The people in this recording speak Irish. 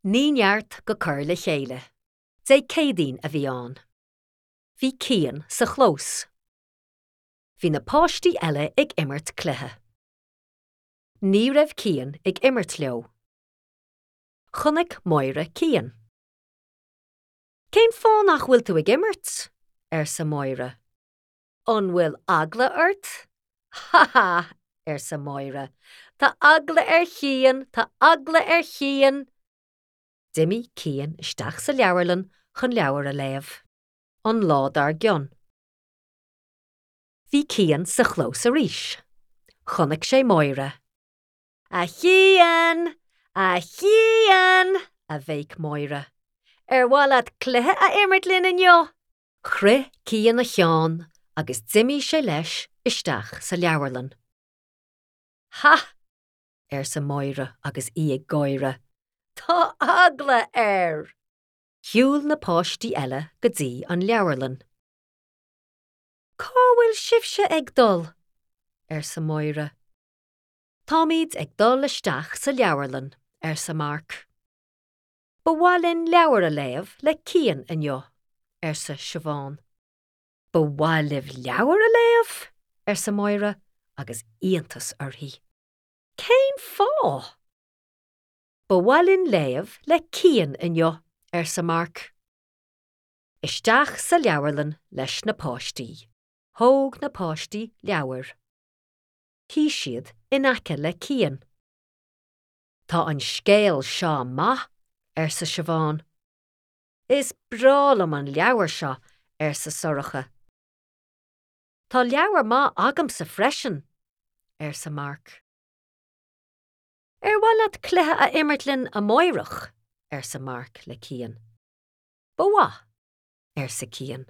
Ní neart go cur le chéile. Dé Céadaoin a bhí ann. Bhí Cian sa chlós. Bhí na páistí eile ag imirt cluiche. Ní raibh Cian ag imirt leo. Chonaic Máire Cian. Cén fáth nach bhfuil tú ag imirt? arsa Máire. An bhfuil eagla ort? Ha ha! arsa Máire. Tá eagla ar Chian! Tá eagla ar Chian! D'imigh Cian isteach sa leabharlann chun leabhar a léamh. An lá dár gcionn. Bhí Cian sa chlós arís. Chonaic sé Máire. A Chian! A Chian! a bhéic Máire. Ar mhaith leat cluiche a imirt linn inniu? Chroith Cian a cheann agus d'imigh sé leis isteach sa leabharlann. Ha! arsa Máire agus í ag gáire. Tá eagla air! Shiúil na páistí eile go dtí an leabharlann. Cá bhfuil sibhse ag dul? arsa Máire. Táimid ag dul isteach sa leabharlann, arsa Mark. Ba mhaith linn leabhar a léamh le Cian inniu, arsa Siobhán. Ba mhaith libh leabhar a léamh? arsa Máire agus iontas uirthi. Cén fáth? Ba mhaith linn léamh le Cian inniu, arsa Mark. Isteach sa leabharlann leis na páistí. Thóg na páistí leabhair. Shuigh siad in aice le Cian. Tá an scéal seo maith, arsa Siobhán. Is breá liom an leabhar seo, arsa Sorcha. Tá leabhar maith agamsa freisin, arsa Mark. Ar mhaith leat cluiche a imirt linn amáireach? arsa Mark le Cian. Ba mhaith, arsa Cian.